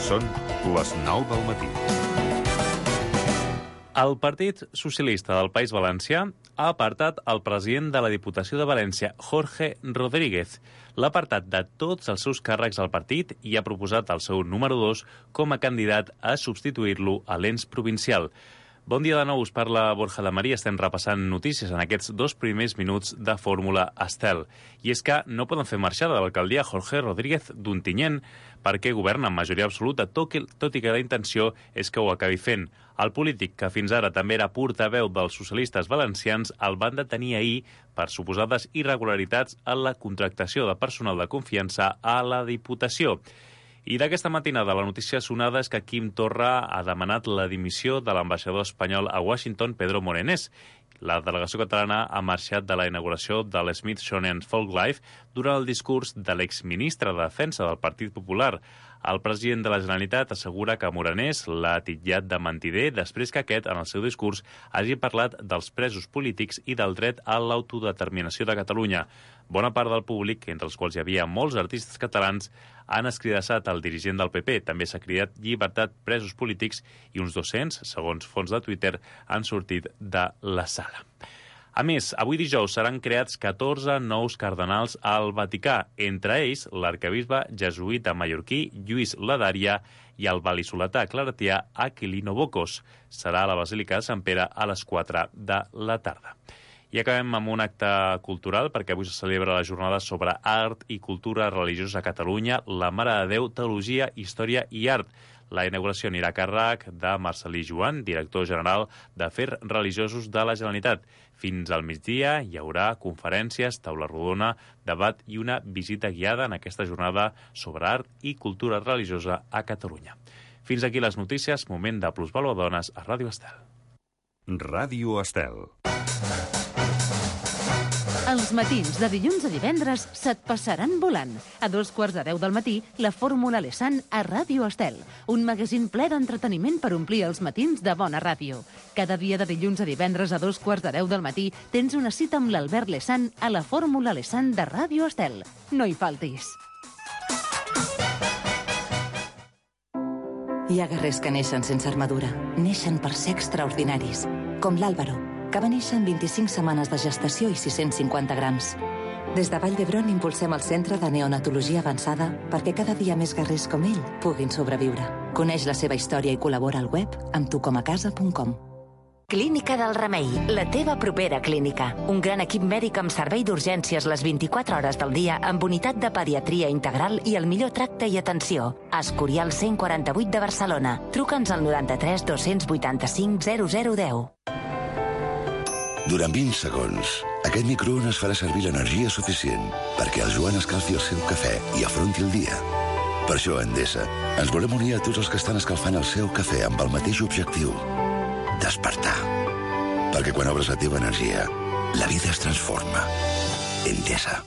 Són les 9 del matí. El Partit Socialista del País Valencià ha apartat el president de la Diputació de València, Jorge Rodríguez. L'ha apartat de tots els seus càrrecs al partit i ha proposat el seu número 2 com a candidat a substituir-lo a l'ens provincial. Bon dia de nou, us parla Borja de Maria. Estem repassant notícies en aquests 2 primers minuts de Fórmula Estel. I és que no poden fer marxar de l'alcaldia Jorge Rodríguez d'Ontinyent perquè governa amb majoria absoluta, tot i que la intenció és que ho acabi fent. El polític, que fins ara també era portaveu dels socialistes valencians, el van detenir ahir per suposades irregularitats en la contractació de personal de confiança a la Diputació. I d'aquesta matinada la notícia sonada és que Quim Torra ha demanat la dimissió de l'ambaixador espanyol a Washington, Pedro Morenés. La delegació catalana ha marxat de la inauguració de l'Smithsonian Folklife durant el discurs de l'exministre de Defensa del Partit Popular. El president de la Generalitat assegura que Morenés l'ha titllat de mentider després que aquest, en el seu discurs, hagi parlat dels presos polítics i del dret a l'autodeterminació de Catalunya. Bona part del públic, entre els quals hi havia molts artistes catalans, han escridassat el dirigent del PP. També s'ha cridat llibertat presos polítics i uns 200, segons fons de Twitter, han sortit de la sala. A més, avui dijous seran creats 14 nous cardenals al Vaticà, entre ells l'arquebisbe jesuïta mallorquí Lluís Ladaria i el val·lisoletà claretià Aquilino Bocos. Serà a la Basílica de Sant Pere a les 4 de la tarda. I acabem amb un acte cultural, perquè avui se celebra la jornada sobre art i cultura religiosa a Catalunya, la Mare de Déu, Teologia, Història i Art. La inauguració anirà a càrrec de Marcelí Joan, director general d'Afers Religiosos de la Generalitat. Fins al migdia hi haurà conferències, taula rodona, debat i una visita guiada en aquesta jornada sobre art i cultura religiosa a Catalunya. Fins aquí les notícies, moment de Plusvàlua Dones a Ràdio Estel. Ràdio Estel. Els matins de dilluns a divendres se't passaran volant. A 9:45 del matí, la Fórmula Lesan a Ràdio Estel. Un magazín ple d'entreteniment per omplir els matins de bona ràdio. Cada dia de dilluns a divendres a 9:45 del matí tens una cita amb l'Albert Lesan a la Fórmula Lesan de Ràdio Estel. No hi faltis. Hi ha guerrers que neixen sense armadura. Neixen per ser extraordinaris. Com l'Àlvaro, que va néixer en 25 setmanes de gestació i 650 grams. Des de Vall d'Hebron impulsem el Centre de Neonatologia Avançada perquè cada dia més guerrers com ell puguin sobreviure. Coneix la seva història i col·labora al web amb tucomacasa.com. Clínica del Remei, la teva propera clínica. Un gran equip mèdic amb servei d'urgències les 24 hores del dia amb unitat de pediatria integral i el millor tracte i atenció. Escorial 148 de Barcelona. Truca'ns al 93 285 0010. Durant 20 segons, aquest microones farà servir l'energia suficient perquè el Joan escalfi el seu cafè i afronti el dia. Per això, a Endesa, ens volem unir a tots els que estan escalfant el seu cafè amb el mateix objectiu: despertar. Perquè quan obres la teva energia, la vida es transforma. Endesa.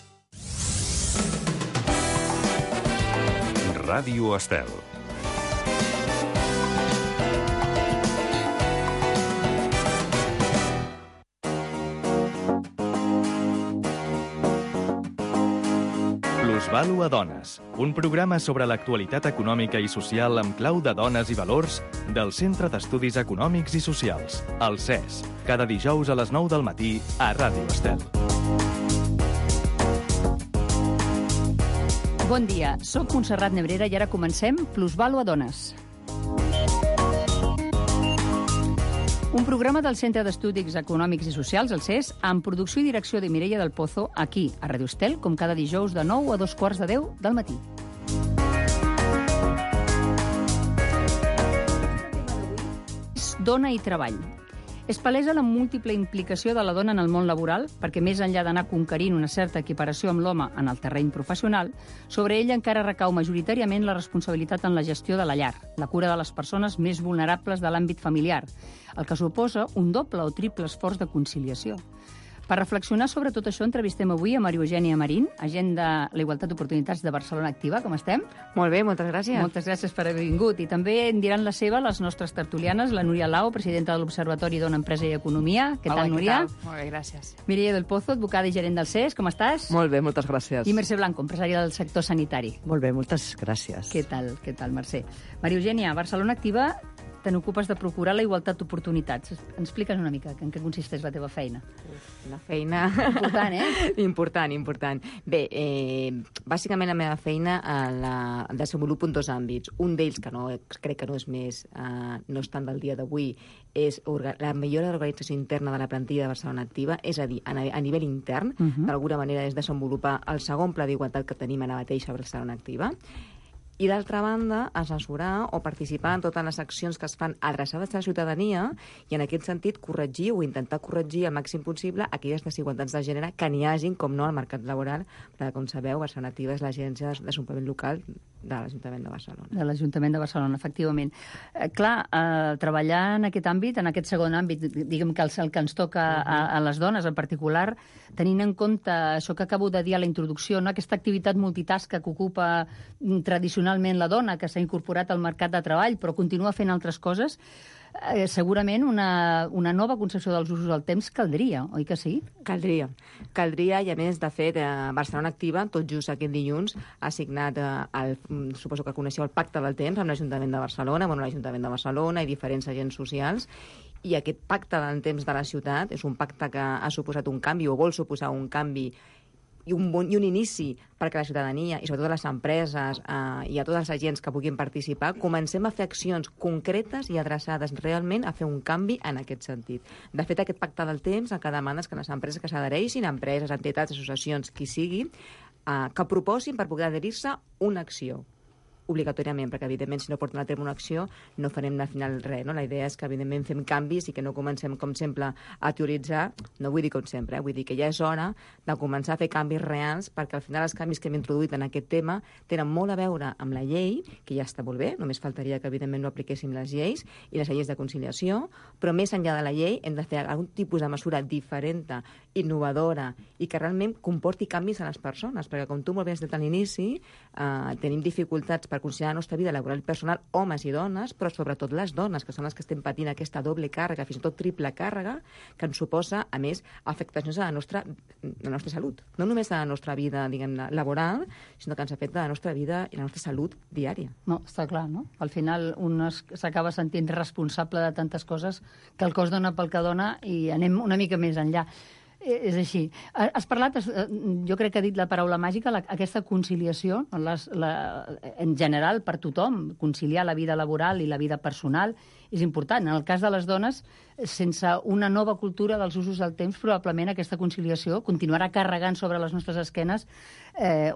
Ràdio Estel. Plusvàlua Dones, un programa sobre l'actualitat econòmica i social amb clau de dones i valors del Centre d'Estudis Econòmics i Socials, el CES, cada dijous a les 9 del matí a Ràdio Estel. Bon dia, soc Montserrat Nebrera i ara comencem Plusvàlua Dones. Un programa del Centre d'Estudis Econòmics i Socials, el CES, amb producció i direcció de Mireia del Pozo, aquí, a Ràdio Estel, com cada dijous de 9 a 9:15 del matí. Dona i treball. És palesa la múltiple implicació de la dona en el món laboral, perquè més enllà d'anar conquerint una certa equiparació amb l'home en el terreny professional, sobre ella encara recau majoritàriament la responsabilitat en la gestió de la llar, la cura de les persones més vulnerables de l'àmbit familiar, el que suposa un doble o triple esforç de conciliació. Per reflexionar sobre tot això, entrevistem avui a Maria Eugènia Marín, agent de la Igualtat d'Oportunitats de Barcelona Activa. Com estem? Molt bé, moltes gràcies. Moltes gràcies per haver vingut. I també en diran la seva les nostres tertulianes, la Núria Lau, presidenta de l'Observatori Dona, Empresa i Economia. Què tal, Núria? Molt bé, gràcies. Mireia del Pozo, advocada i gerent del CES. Com estàs? Molt bé, moltes gràcies. I Mercè Blanco, empresària del sector sanitari. Molt bé, moltes gràcies. Què tal, Mercè? Maria Eugènia, Barcelona Activa, te n'ocupes de procurar la igualtat d'oportunitats. Ens expliques una mica en què consisteix la teva feina. La feina... Important, Important. Bé, bàsicament la meva feina la desenvolupo en dos àmbits. Un d'ells, que crec que no és més, no és tant del dia d'avui, és la millora de l'organització interna de la plantilla de Barcelona Activa, és a dir, a nivell intern, d'alguna manera és desenvolupar el segon pla d'igualtat que tenim ara mateix a Barcelona Activa, i d'altra banda, assessorar o participar en totes les accions que es fan adreçades a la ciutadania i en aquest sentit corregir o intentar corregir el màxim possible aquelles desigualtats de gènere que n'hi hagin, com no, al mercat laboral, perquè, com sabeu, Barcelona Activa és l'agència de desenvolupament local de l'Ajuntament de Barcelona. De l'Ajuntament de Barcelona, efectivament. Treballar en aquest àmbit, en aquest segon àmbit, diguem que el que ens toca a les dones en particular, tenint en compte això que acabo de dir a la introducció, no? Aquesta activitat multitasca que ocupa tradicionalment la dona, que s'ha incorporat al mercat de treball, però continua fent altres coses, segurament una nova concepció dels usos del temps caldria, oi que sí? Caldria, i a més, de fet, Barcelona Activa, tot just aquest dilluns, ha signat, suposo que coneixeu, el Pacte del Temps amb l'Ajuntament de Barcelona, i diferents agents socials, i aquest Pacte del Temps de la ciutat és un pacte que ha suposat un canvi, o vol suposar un canvi, i un inici perquè la ciutadania, i sobretot les empreses i a tots els agents que puguin participar, comencem a fer accions concretes i adreçades realment a fer un canvi en aquest sentit. De fet, aquest pacte del temps el que demana és que les empreses que s'adhereixin, empreses, entitats, associacions, qui sigui, que proposin per poder adherir-se una acció obligatòriament, perquè evidentment si no porten a terme una acció no farem al final res, no? La idea és que evidentment fem canvis i que no comencem com sempre a teoritzar, no vull dir com sempre, vull dir que ja és hora de començar a fer canvis reals, perquè al final els canvis que hem introduït en aquest tema tenen molt a veure amb la llei, que ja està molt bé, només faltaria que evidentment no apliquéssim les lleis i les lleis de conciliació, però més enllà de la llei hem de fer algun tipus de mesura diferent, innovadora, i que realment comporti canvis a les persones, perquè com tu molt bé has dit a l'inici, tenim dificultats per conciliar la nostra vida laboral i personal, homes i dones, però sobretot les dones, que són les que estem patint aquesta doble càrrega, fins i tot triple càrrega, que ens suposa, a més, afectacions a la nostra salut. No només a la nostra vida, diguem-ne, laboral, sinó que ens afecta a la nostra vida i la nostra salut diària. No, està clar, no? Al final un s'acaba sentint responsable de tantes coses que el cos dona pel que dona i anem una mica més enllà. És així. Has parlat, jo crec que ha dit la paraula màgica, aquesta conciliació, en general, per tothom, conciliar la vida laboral i la vida personal, és important. En el cas de les dones, sense una nova cultura dels usos del temps, probablement aquesta conciliació continuarà carregant sobre les nostres esquenes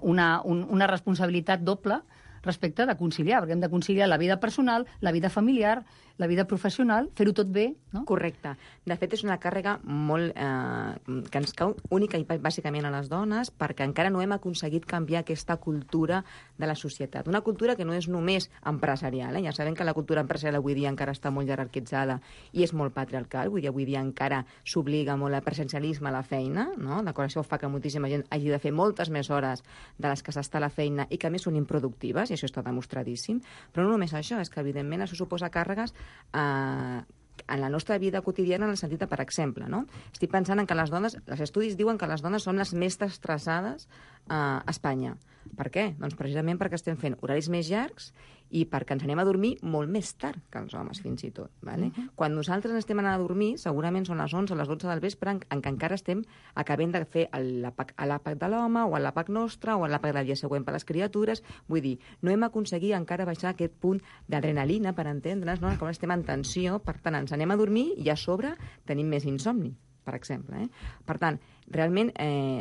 una responsabilitat doble respecte de conciliar, perquè hem de conciliar la vida personal, la vida familiar, la vida professional, fer-ho tot bé, no? Correcte. De fet, és una càrrega molt que ens cau única i bàsicament a les dones, perquè encara no hem aconseguit canviar aquesta cultura de la societat. Una cultura que no és només empresarial. Ja sabem que la cultura empresarial avui dia encara està molt jerarquitzada i és molt patriarcal. Avui dia encara s'obliga molt al presencialisme a la feina, no? D'acord, això fa que moltíssima gent hagi de fer moltes més hores de les que s'està a la feina i que a més són improductives, i això està demostradíssim. Però no només això, és que evidentment això suposa càrregues en la nostra vida quotidiana, en el sentit de, per exemple, no? Estic pensant en que les dones, els estudis diuen que les dones són les més estressades a Espanya. Per què? Doncs precisament perquè estem fent horaris més llargs i perquè ens anem a dormir molt més tard que els homes, fins i tot. Vale? Quan nosaltres estem anant a dormir, segurament són les 11 o les 12 del vespre, en què encara estem acabant de fer l'àpat de l'home o l'àpat nostre o l'àpat del dia següent per les criatures. Vull dir, no hem aconseguit encara baixar aquest punt d'adrenalina, per entendre's, no? Com estem en tensió, per tant, ens anem a dormir i a sobre tenim més insomni, per exemple. Per tant, realment,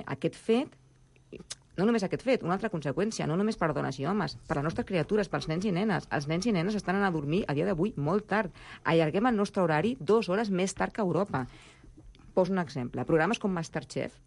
aquest fet... No només aquest fet, una altra conseqüència, no només per dones i homes, per les nostres criatures, pels nens i nenes. Els nens i nenes estan anant a dormir a dia d'avui molt tard. Allarguem el nostre horari 2 hores més tard que Europa. Poso un exemple. Programes com Masterchef,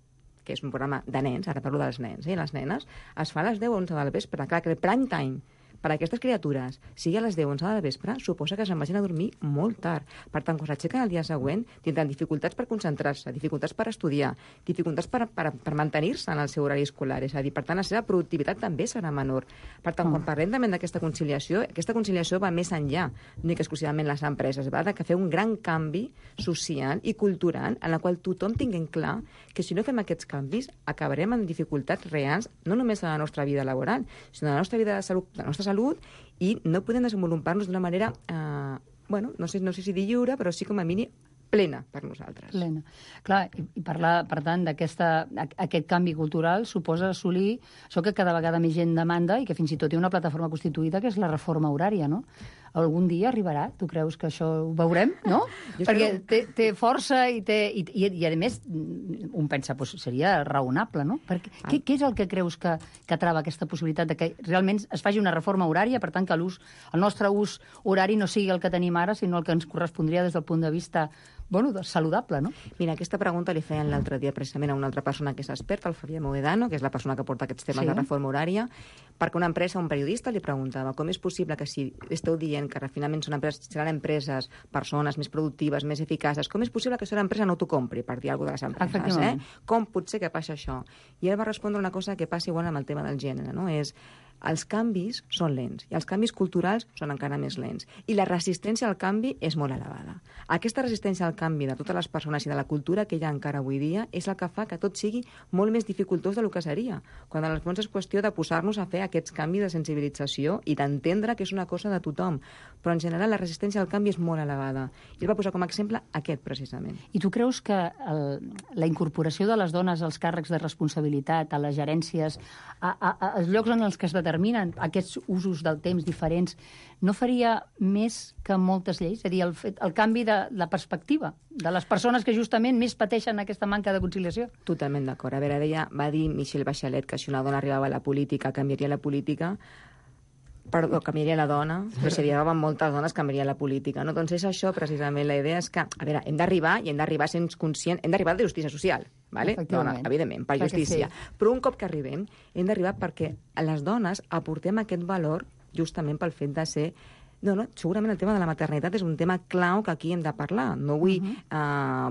que és un programa de nens, ara parlo dels nens i les nenes, es fa a les 10 o 11 del vespre. Clar, que el prime time per a aquestes criatures, sigui a les 10 o 11 de vespre, suposa que se'n vagin a dormir molt tard. Per tant, quan s'aixequen el dia següent, tindran dificultats per concentrar-se, dificultats per estudiar, dificultats per mantenir-se en el seu horari escolar. És a dir, per tant, la seva productivitat també serà menor. Per tant, quan parlem també d'aquesta conciliació va més enllà, únic exclusivament les empreses, va de que fer un gran canvi social i cultural en la qual tothom tingui clar que si no fem aquests canvis acabarem amb dificultats reals, no només de la nostra vida laboral, sinó de la nostra vida de salut, de la nostra salut, i no podem desenvolupar-nos d'una manera, no sé si dir lliure, però sí com a mínim plena per nosaltres. Plena. Clar, i parlar, per tant, aquest canvi cultural suposa assolir això que cada vegada més gent demanda i que fins i tot hi ha una plataforma constituïda, que és la reforma horària, no? Algun dia arribarà? Tu creus que això ho veurem, no? Perquè té força i a més, un pensa, seria raonable, no? Què és el que creus que trava aquesta possibilitat de que realment es faci una reforma horària, per tant que el nostre ús horari no sigui el que tenim ara, sinó el que ens correspondria des del punt de vista saludable, no? Mira, aquesta pregunta li feien l'altre dia precisament a una altra persona que és experta, el Fabià Moedano, que és la persona que porta aquests temes de reforma horària, perquè una empresa, un periodista li preguntava com és possible que si esteu dient que finalment seran empreses, persones més productives, més eficaces, com és possible que aquesta empresa no t'ho compri, per dir alguna cosa de les empreses, Com pot ser que passi això? I ell va respondre una cosa que passa igual amb el tema del gènere, no? És els canvis són lents i els canvis culturals són encara més lents. I la resistència al canvi és molt elevada. Aquesta resistència al canvi de totes les persones i de la cultura que hi ha encara avui dia és el que fa que tot sigui molt més dificultós del que seria, quan en el fons és qüestió de posar-nos a fer aquests canvis de sensibilització i d'entendre que és una cosa de tothom. Però en general la resistència al canvi és molt elevada. I ell va posar com a exemple aquest, precisament. I tu creus que la incorporació de les dones als càrrecs de responsabilitat, a les gerències, als llocs en els que es determinen aquests usos del temps diferents, no faria més que moltes lleis? És a dir, el canvi de la perspectiva de les persones que justament més pateixen aquesta manca de conciliació? Totalment d'acord. A veure, va dir Michelle Bachelet que si una dona arribava a la política, canviaria la política. Perdó, canviaria la dona, però si arribaven moltes dones, canviaria la política, no? Doncs és això, precisament, la idea és que, a veure, hem d'arribar sent conscients, hem d'arribar de justícia social, ¿vale? Dona, evidentment, per justícia. Sí. Però un cop que arribem, hem d'arribar perquè a les dones aportem aquest valor justament pel fet de ser... segurament el tema de la maternitat és un tema clau que aquí hem de parlar. No vull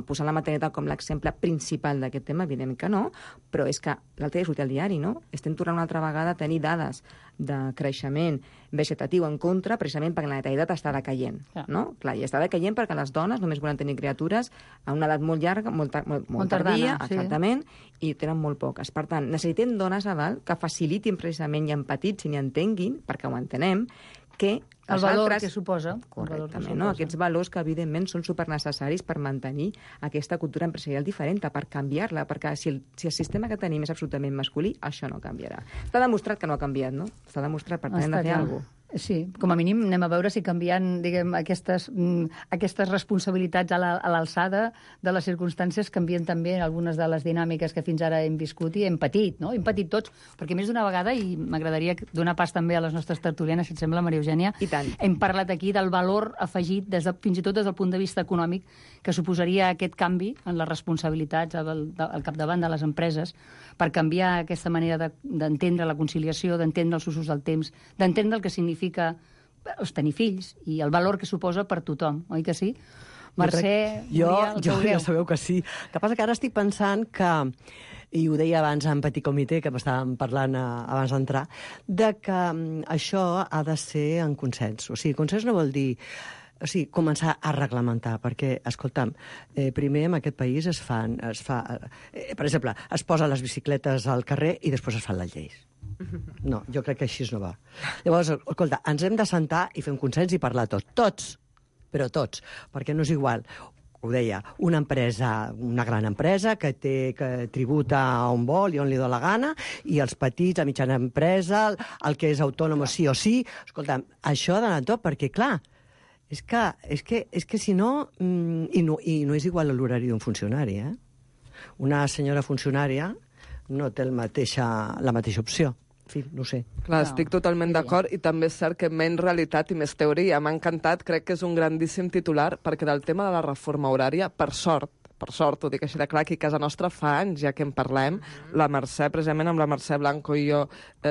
posar la maternitat com l'exemple principal d'aquest tema, evidentment que no, però és que l'altre dia sortia al diari, no? Estem tornant una altra vegada a tenir dades de creixement vegetatiu en contra, precisament perquè la natalitat està decaient, no? Clar, i està decaient perquè les dones només volen tenir criatures a una edat molt llarga, molt tardia, exactament, i tenen molt poques. Per tant, necessitem dones a dalt que facilitin precisament i empatitzin i entenguin, perquè ho entenem, que el valor que suposa. Correctament, no? Aquests valors que, evidentment, són supernecessaris per mantenir aquesta cultura empresarial diferent, per canviar-la, perquè si el sistema que tenim és absolutament masculí, això no canviarà. Està demostrat que no ha canviat, no? Està demostrat, per tant, hem de fer alguna cosa. Sí, com a mínim anem a veure si canviant, diguem, aquestes responsabilitats a l'alçada de les circumstàncies canvien també algunes de les dinàmiques que fins ara hem viscut i hem patit, no? Hem patit tots, perquè més d'una vegada, i m'agradaria donar pas també a les nostres tertulianes, si et sembla, Maria Eugènia, hem parlat aquí del valor afegit, fins i tot des del punt de vista econòmic, que suposaria aquest canvi en les responsabilitats al capdavant de les empreses per canviar aquesta manera d'entendre la conciliació, d'entendre els usos del temps, d'entendre el que significa tenir fills i el valor que suposa per tothom, oi que sí? Mercè, jo ja sabeu que sí. El que passa que ara estic pensant que, i ho deia abans en Petit Comitè, que m'estàvem parlant abans d'entrar, de que això ha de ser en consens. O sigui, consens no vol dir començar a reglamentar, perquè, escolta'm, primer en aquest país per exemple, es posen les bicicletes al carrer i després es fan les lleis. No, jo crec que així no va. Llavors, escolta, ens hem de sentar i fer un consens i parlar tots, però tots, perquè no és igual. Ho deia, una gran empresa que tributa on vol i on li dóna la gana, i els petits, la mitjana empresa, el que és autònom sí o sí. Escolta'm, això ha d'anar tot, perquè, clar, és que si no... I no és igual l'horari d'un funcionari, eh? Una senyora funcionària no té la mateixa opció. En fi, no sé. Clar, estic totalment d'acord, i també és cert que menys realitat i més teoria. M'ha encantat, crec que és un grandíssim titular, perquè del tema de la reforma horària, per sort, per sort, ho dic així de clar, aquí a casa nostra fa anys ja que en parlem. La Mercè, precisament amb la Mercè Blanco i jo,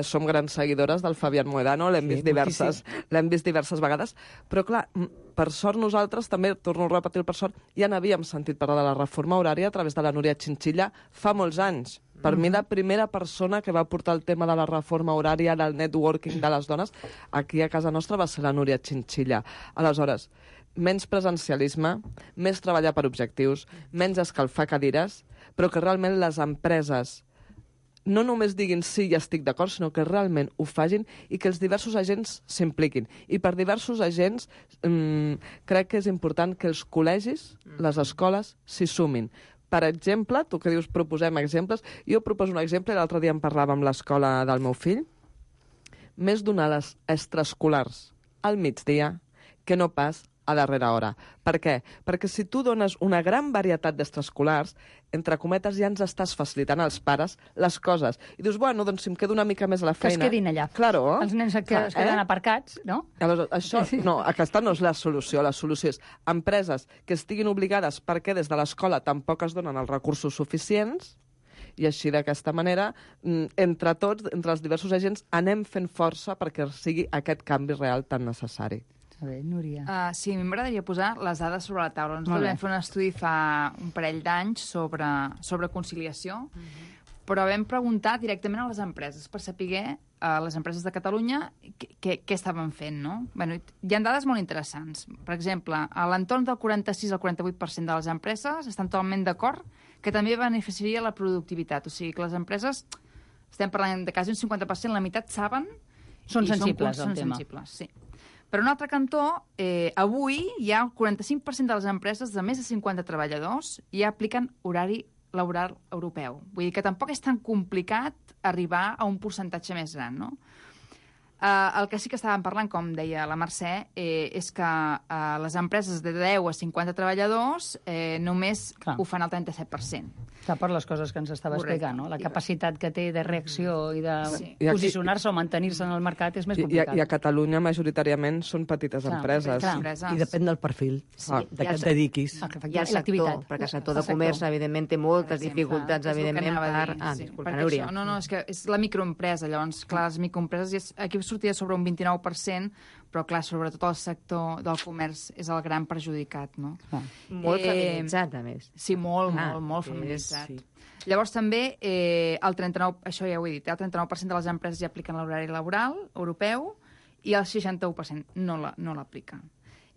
som grans seguidores del Fabián Mohedano, l'hem vist diverses vegades, però clar, per sort nosaltres, també, torno a repetir per sort, ja n'havíem sentit parlar de la reforma horària a través de la Núria Chinchilla fa molts anys. Per mi, la primera persona que va portar el tema de la reforma horària, del networking de les dones, aquí a casa nostra va ser la Núria Chinchilla. Aleshores, menys presencialisme, més treballar per objectius, menys escalfar cadires, però que realment les empreses no només diguin sí, ja estic d'acord, sinó que realment ho facin i que els diversos agents s'impliquin. I per diversos agents crec que és important que els col·legis, les escoles, s'hi sumin. Per exemple, tu que dius proposem exemples, jo proposo un exemple, l'altre dia en parlàvem amb l'escola del meu fill, més d'onades extraescolars al migdia que no pas a darrera hora. Per què? Perquè si tu dones una gran varietat d'extraescolars, entre cometes ja ens estàs facilitant als pares les coses. I dius, bueno, doncs si em quedo una mica més a la feina... Que es quedin allà. Claro. Els nens es queden aparcats, no? Aleshores, això, no, aquesta no és la solució. La solució és empreses que estiguin obligades perquè des de l'escola tampoc es donen els recursos suficients i així d'aquesta manera, entre tots, entre els diversos agents, anem fent força perquè sigui aquest canvi real tan necessari. A veure, Núria. Sí, a mi m'agradaria posar les dades sobre la taula. Nosaltres vam fer un estudi fa un parell d'anys sobre conciliació, però vam preguntar directament a les empreses per saber a les empreses de Catalunya què estaven fent, no? Bueno, hi ha dades molt interessants. Per exemple, a l'entorn del 46 al 48% de les empreses estan totalment d'acord que també beneficiaria la productivitat. O sigui, que les empreses, estem parlant de quasi un 50%, la meitat saben... Són sensibles al tema. Sí. Per un altre cantó, avui hi ha el 45% de les empreses de més de 50 treballadors ja apliquen horari laboral europeu. Vull dir que tampoc és tan complicat arribar a un percentatge més gran, no? El que sí que estàvem parlant, com deia la Mercè, és que les empreses de 10 a 50 treballadors només ho fan al 37%. Clar, per les coses que ens estava explicant, no? La capacitat que té de reacció i de posicionar-se o mantenir-se en el mercat és més complicat. I a Catalunya, majoritàriament, són petites empreses. I depèn del perfil de què et dediquis. I el sector, perquè el sector de comerç, evidentment, té moltes dificultats, evidentment, per... Disculpa, Núria. No, és que és la microempresa, llavors, clar, les microempreses, aquí sortia sobre un 29%, però, clar, sobretot el sector del comerç és el gran perjudicat, no? Molt feminitzat, a més. Sí, molt feminitzat. Sí. Llavors, també, el 39%, això ja ho he dit, el 39% de les empreses ja apliquen l'horari laboral europeu i el 61% no l'apliquen.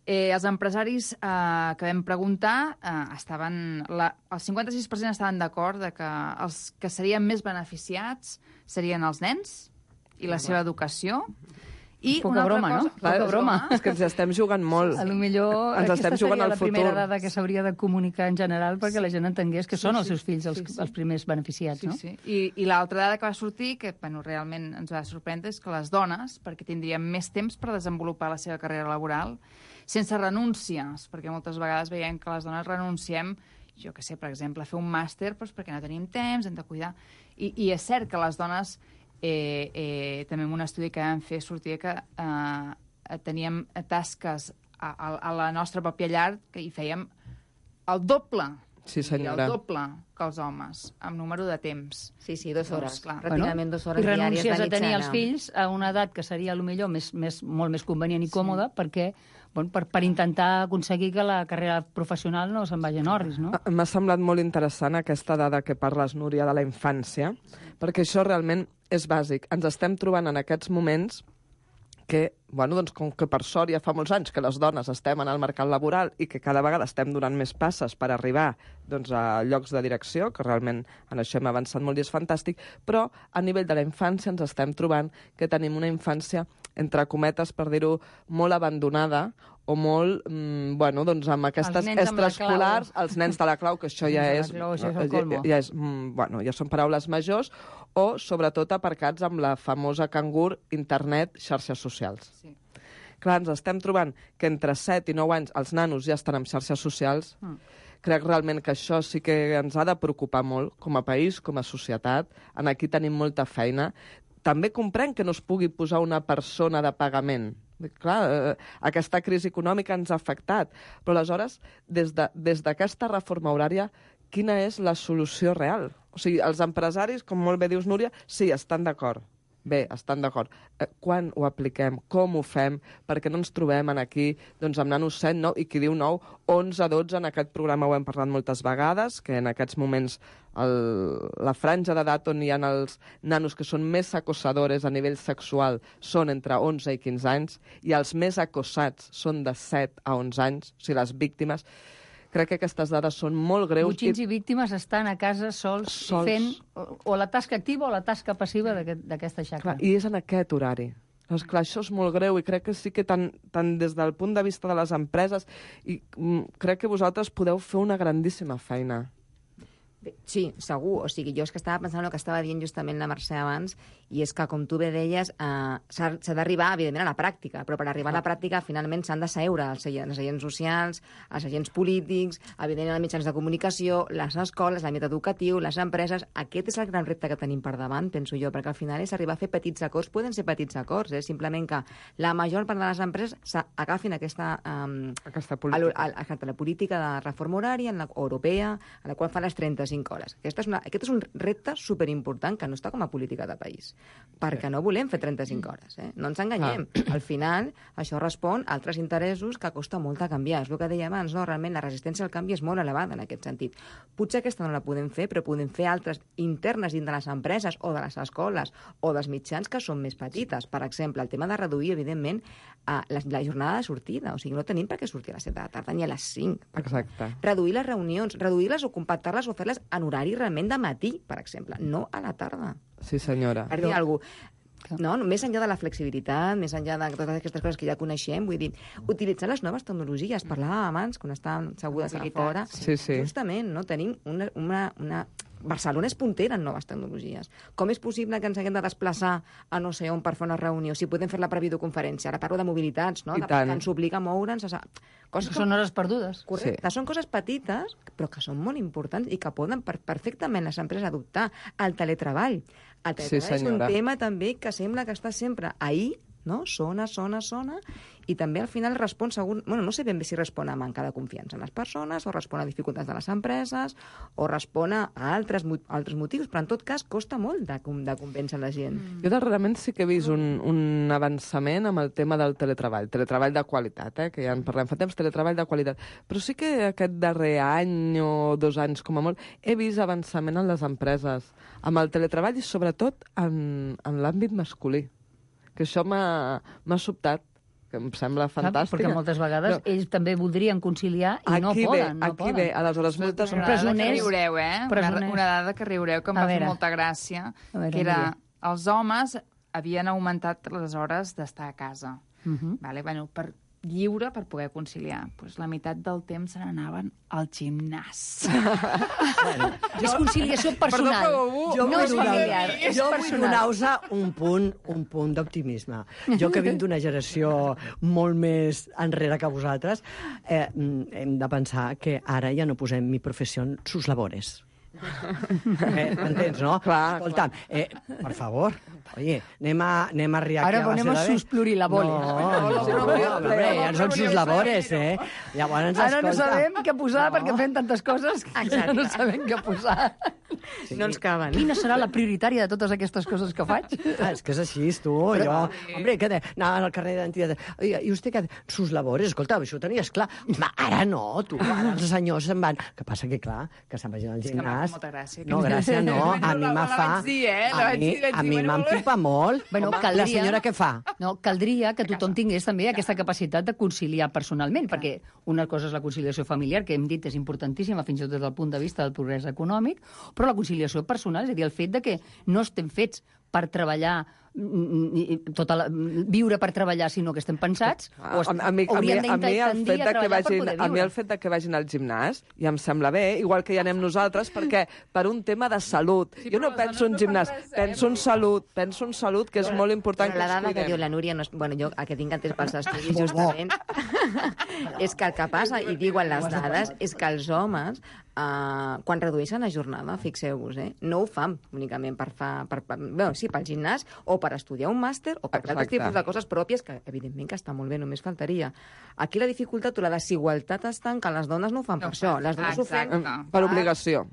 Els empresaris que vam preguntar estaven... El 56% estaven d'acord que els que serien més beneficiats serien els nens i la seva educació. I poca broma, no? Poca broma. És que ens estem jugant molt. A lo millor aquesta seria la primera dada que s'hauria de comunicar en general perquè la gent entengués que són els seus fills els primers beneficiats, no? Sí. I l'altra dada que va sortir, que realment ens va sorprendre, és que les dones, perquè tindrien més temps per desenvolupar la seva carrera laboral, sense renúncies, perquè moltes vegades veiem que les dones renunciem, jo què sé, per exemple, a fer un màster perquè no tenim temps, hem de cuidar. I és cert que les dones... també en un estudi que vam fer sortia que teníem tasques a la nostra pròpia llar que hi fèiem el doble. Sí, senyora. El doble que els homes, amb número de temps. Sí, 2 hores. Doncs, pràcticament 2 hores diàries de mitjana. I renuncies a tenir els fills a una edat que seria potser molt més convenient i còmoda perquè per intentar aconseguir que la carrera professional no se'n vagi en orris, no? M'ha semblat molt interessant aquesta dada que parles, Núria, de la infància, perquè això realment és bàsic. Ens estem trobant en aquests moments que, com que per sort ja fa molts anys que les dones estem en el mercat laboral i que cada vegada estem donant més passes per arribar a llocs de direcció, que realment en això hem avançat molt i és fantàstic, però a nivell de la infància ens estem trobant que tenim una infància, entre cometes, per dir-ho, molt abandonada o molt, amb aquestes extraescolars, els nens de la clau, que això ja és... ja són paraules majors, o sobretot aparcats amb la famosa cangur internet, xarxes socials. Sí. Clar, ens estem trobant que entre 7 i 9 anys els nanos ja estan en xarxes socials. Crec realment que això sí que ens ha de preocupar molt com a país, com a societat. Aquí tenim molta feina. També comprenc que no es pugui posar una persona de pagament, Clar, aquesta crisi econòmica ens ha afectat. Però aleshores, des d'aquesta reforma horària, quina és la solució real? O sigui, els empresaris, com molt bé dius, Núria, sí, estan d'acord. Bé, estan d'acord. Quan ho apliquem? Com ho fem? Perquè no ens trobem aquí doncs, amb nanos 7, 9, i qui diu 9, 11, 12, en aquest programa ho hem parlat moltes vegades, que en aquests moments la franja d'edat on hi ha els nanos que són més acosadores a nivell sexual són entre 11 i 15 anys, i els més acosats són de 7 a 11 anys, o sigui, les víctimes. Crec que aquestes dades són molt greus. Botxins i víctimes estan a casa sols fent o la tasca activa o la tasca passiva d'aquesta xacra. I és en aquest horari. Doncs clar, això és molt greu i crec que sí que tant des del punt de vista de les empreses, i crec que vosaltres podeu fer una grandíssima feina. Sí, segur. O sigui, jo és que estava pensant el que estava dient justament la Mercè abans, i és que, com tu bé deies, s'ha d'arribar, evidentment, a la pràctica, però per arribar a la pràctica, finalment, s'han de seure els agents socials, els agents polítics, evidentment, els mitjans de comunicació, les escoles, l'àmbit educatiu, les empreses. Aquest és el gran repte que tenim per davant, penso jo, perquè al final és arribar a fer petits acords. Poden ser petits acords, simplement que la major part de les empreses agafin aquesta política de reforma horària europea, en la qual fa les 35 hores. Aquest és un repte superimportant que no està com a política de país, perquè no volem fer 35 hores. No ens enganyem. Al final, això respon a altres interessos que costa molt de canviar. És el que deia abans, no? Realment la resistència al canvi és molt elevada en aquest sentit. Potser aquesta no la podem fer, però podem fer altres internes dins de les empreses o de les escoles o dels mitjans que són més petites. Per exemple, el tema de reduir, evidentment, la jornada de sortida. O sigui, no tenim per què sortir a les 7 de la tarda ni a les 5. Exacte. Reduir les reunions, reduir-les o compactar-les o fer-les en horari realment de matí, per exemple, no a la tarda. Sí, senyora. Per dir alguna cosa. No, més enllà de la flexibilitat, més enllà de totes aquestes coses que ja coneixem, vull dir, utilitzar les noves tecnologies. Parlàvem abans, quan estàvem assegudes aquí fora. Sí. Justament, no? Tenim una Barcelona és puntera en noves tecnologies. Com és possible que ens haguem de desplaçar a no sé on per fer una reunió, si podem fer-la per videoconferència? Ara parlo de mobilitats, no? Que ens obliga a moure'ns. Coses són hores perdudes. Correcte. Són coses petites, però que són molt importants i que poden perfectament les empreses adoptar. El teletreball. El teletreball és un tema també que sembla que està sempre ahí, no? Sona, i també al final respon no sé ben bé si respon a manca de confiança en les persones, o respon a dificultats de les empreses, o respon a altres motius, però en tot cas costa molt de convèncer la gent. Jo darrerament sí que he vist un avançament amb el tema del teletreball de qualitat, que ja en parlem fa temps, teletreball de qualitat, però sí que aquest darrer any o 2 anys com a molt he vist avançament en les empreses amb el teletreball i sobretot en l'àmbit masculí, que això m'ha sobtat, que em sembla fantàstic. Perquè moltes vegades ells també voldrien conciliar i no poden. Aquí ve, aleshores moltes... Una dada que riureu, una dada que riureu, que em va fer molta gràcia, que era els homes havien augmentat les hores d'estar a casa. Lliure per poder conciliar. Pues la meitat del temps se n'anaven al gimnàs. És conciliació personal. Jo vull donar-vos un punt d'optimisme. Jo que vinc d'una generació molt més enrere que vosaltres, hem de pensar que ara ja no posem mi professió en sus labores. M'entens, no? Escolta'm, per favor, oye, anem a riar aquí a base de... Ara ponemos sus plurilabores. No, ja són sus labores, Llavors, ara no sabem què posar perquè fem tantes coses que ja no sabem què posar. No ens caben. Quina serà la prioritària de totes aquestes coses que faig? És que és així, tu. Hombre, què anava al carrer d'identitat. I vostè què? Sus labores, escolta, això ho tenies clar. Ara no, tu. Els senyors se'n van. Que passa que, clar, que se'n vagin al gimnàs. Molta gràcia. No, gràcia no. A mi me fa... A mi m'empipa molt. La senyora què fa? No, caldria que tothom tingués també aquesta capacitat de conciliar personalment, perquè una cosa és la conciliació familiar, que hem dit és importantíssima fins i tot des del punt de vista del progrés econòmic, però la conciliació personal, és a dir, el fet de que no estem fets per treballar, viure per treballar, sinó que estem pensats, a mi el fet de que vagin al gimnàs ja em sembla bé, igual que hi anem nosaltres, perquè per un tema de salut. Jo no penso en gimnàs, penso en salut, que és molt important que ens cuidem. La dada que diu la Núria, jo el que tinc entès pels estudis justament, és que el que passa, i diuen les dades, és que els homes, quan redueixen la jornada, fixeu-vos, no ho fan únicament pel gimnàs o per estudiar un màster o per altres tipus de coses pròpies, que evidentment que està molt bé, només faltaria. Aquí la dificultat o la desigualtat està en que les dones no ho fan per això. Les dones ho fan per obligació.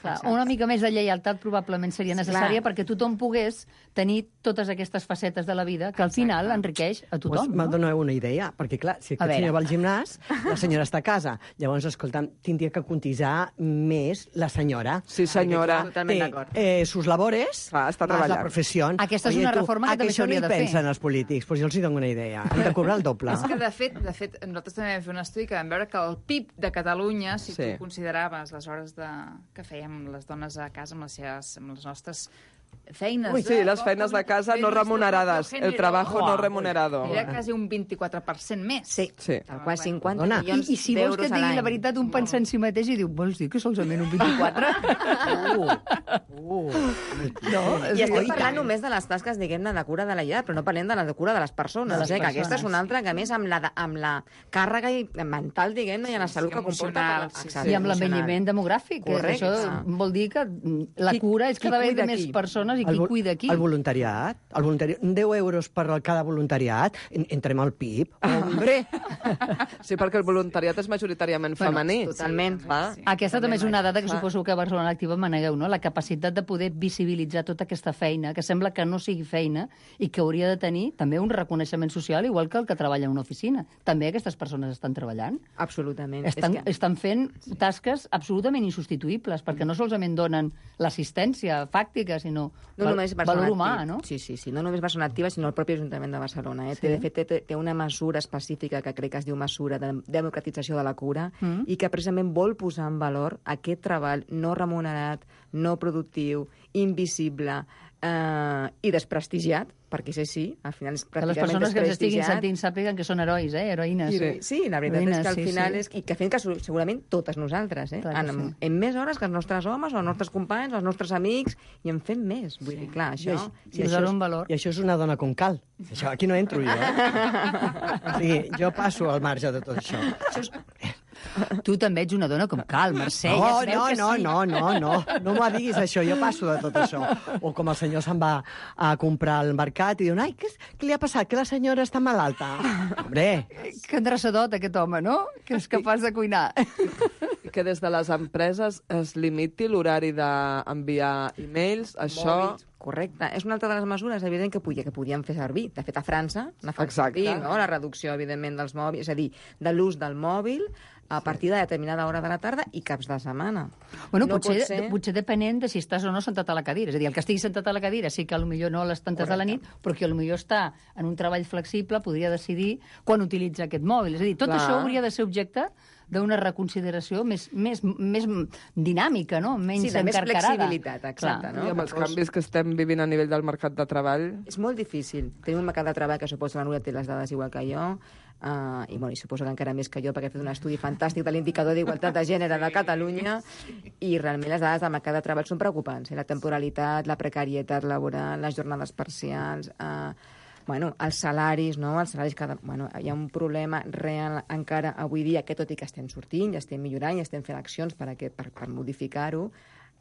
Clar, una mica més de lleialtat probablement seria necessària perquè tothom pogués tenir totes aquestes facetes de la vida que al final enriqueix a tothom. Me'n doneu una idea, perquè clar, si aquest senyor va al gimnàs, la senyora està a casa. Llavors, escolta'm, tindria que cotitzar més la senyora. Sí, senyora. Totalment d'acord. Sus labores, està treballant. la professió. Aquesta és una reforma que també s'hauria de fer. A què pensen els polítics? Pues jo els dono una idea. Hem de cobrar el doble. És que, de fet, nosaltres també vam fer un estudi que vam veure que el PIB de Catalunya, si tu consideraves les hores que fèiem les dones a casa amb les nostres feines... Ui, sí, les feines de casa no remunerades, el trabajo no remunerado. Era quasi un 24% més. Sí. Tal qual 50 milions I si vols que et d'euros a digui l'any. la veritat, un pensa en si mateix i diu, vols dir que solament un 24? I estem parlant només de les tasques, diguem-ne, de cura de la llar, però no parlem de la cura de les persones. Que aquesta és una altra, que a més amb la càrrega mental, diguem-ne, i en la salut que comporta. I amb l'envelliment demogràfic. Això vol dir que la cura és cada vegada més persones i qui cuida aquí. El voluntariat. 10 euros per cada voluntariat. Entrem al PIB. Hombre! Sí, perquè el voluntariat és majoritàriament femení. Totalment. Aquesta també és una dada que suposo que a Barcelona Activa manegueu, no? La capacitat de poder visibilitzar tota aquesta feina, que sembla que no sigui feina i que hauria de tenir també un reconeixement social, igual que el que treballa en una oficina. També aquestes persones estan treballant. Absolutament. Estan fent tasques absolutament insubstituïbles, perquè no solament donen l'assistència fàctica, sinó valor humà, no? Sí. No només Barcelona Activa, sinó el propi Ajuntament de Barcelona. De fet, té una mesura específica que crec que es diu mesura de democratització de la cura i que precisament vol posar en valor aquest treball no remunerat, no productiu, invisible i desprestigiat, perquè sí, al final és pràcticament desprestigiat. Que les persones que ens estiguin sentint sàpiguen que són herois, heroïnes. Sí, la veritat és que al final és... I que fem que segurament totes nosaltres, en més hores que els nostres homes, els nostres companys, els nostres amics, i en fem més. Vull dir, clar, això... I això és una dona com cal. Això, aquí no entro jo. O sigui, jo passo al marge de tot això. Tu també ets una dona com cal, Mercè. No m'ho diguis això, jo passo de tot això. O com el senyor se'n va a comprar al mercat i diu, ai, què li ha passat? Que la senyora està malalta. Hombre! Que endreçadot, aquest home, no? Que és capaç de cuinar. Que des de les empreses es limiti l'horari d'enviar e-mails, això... Mòbils. Correcte. És una altra de les mesures, evident, que podien fer servir. De fet, a França n'ha fet servir, no? La reducció, evidentment, dels mòbils, és a dir, de l'ús del mòbil a partir de determinada hora de la tarda i caps de setmana. Bueno, potser depenent de si estàs o no sentat a la cadira. És a dir, el que estigui sentat a la cadira sí que potser no a les tantes de la nit, però que potser està en un treball flexible, podria decidir quan utilitza aquest mòbil. És a dir, tot això hauria de ser objecte d'una reconsideració més dinàmica, no? Menys encarcarada. Sí, de més flexibilitat, exacte. No? I amb els canvis que estem vivint a nivell del mercat de treball... És molt difícil. Tenim un mercat de treball que suposa la Núria té les dades igual que jo, i suposo que encara més que jo, perquè he fet un estudi fantàstic de l'indicador d'igualtat de gènere de Catalunya, i realment les dades del mercat de treball són preocupants. La temporalitat, la precarietat laboral, les jornades parcials... els salaris, no? Els salaris hi ha un problema real encara avui dia, que tot i que estem sortint, ja estem millorant, ja estem fent accions per modificar-ho,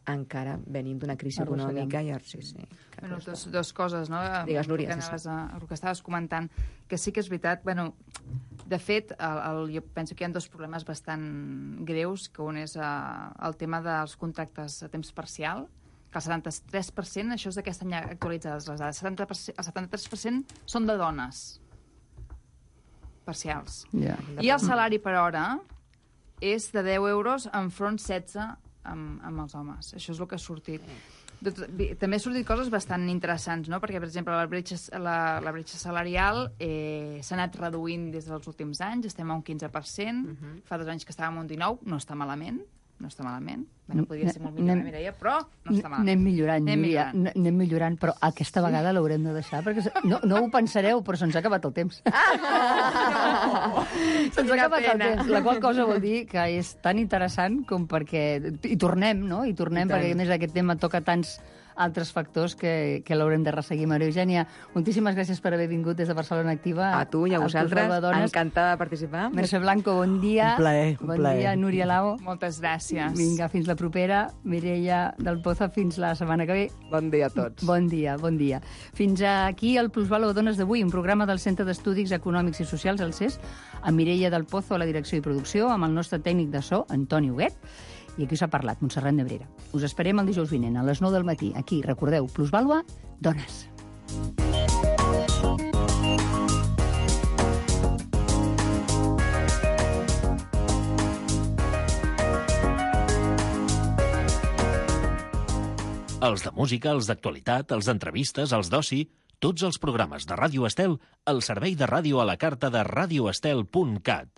encara venim d'una crisi econòmica i... Dos coses, no? Digues, Núria. El que estaves comentant, que sí que és veritat, de fet, jo penso que hi ha dos problemes bastant greus, que un és el tema dels contractes a temps parcial, que el 73%, això és d'aquest any actualitzades les dades, el 73% són de dones parcials. I el salari per hora és de 10 euros enfront 16 amb els homes. Això és el que ha sortit. També ha sortit coses bastant interessants, no? Perquè, per exemple, la bretxa salarial s'ha anat reduint des dels últims anys, estem a un 15%, fa 2 anys que estàvem a un 19%, no està malament. Podria ser molt millor, Mireia, però no està malament. Anem millorant, però aquesta vegada l'haurem de deixar, perquè no ho pensareu, però se'ns ha acabat el temps. Se'ns ha acabat el temps, la qual cosa vol dir que és tan interessant com perquè... I tornem, no? Perquè, a més, aquest tema toca tants altres factors que l'haurem de resseguir. Maria Eugènia, moltíssimes gràcies per haver vingut des de Barcelona Activa. A tu i a vosaltres, encantada de participar. Mercè Blanco, bon dia. Un plaer, un bon dia, Núria Lao. Moltes gràcies. Vinga, fins la propera. Mireia del Pozo, fins la setmana que ve. Bon dia a tots. Bon dia, bon dia. Fins aquí el Plusvalor Dones d'avui, un programa del Centre d'Estudis Econòmics i Socials, el CES, amb Mireia del Pozo a la direcció i producció, amb el nostre tècnic de so, Antoni Huguet, i aquí us ha parlat, Montserrat Nebrera. Us esperem el dijous vinent, a les 9 del matí. Aquí, recordeu, Plusvàlua, Dones. Els de música, els d'actualitat, els d'entrevistes, els d'oci, tots els programes de Ràdio Estel al servei de ràdio a la carta de radioestel.cat.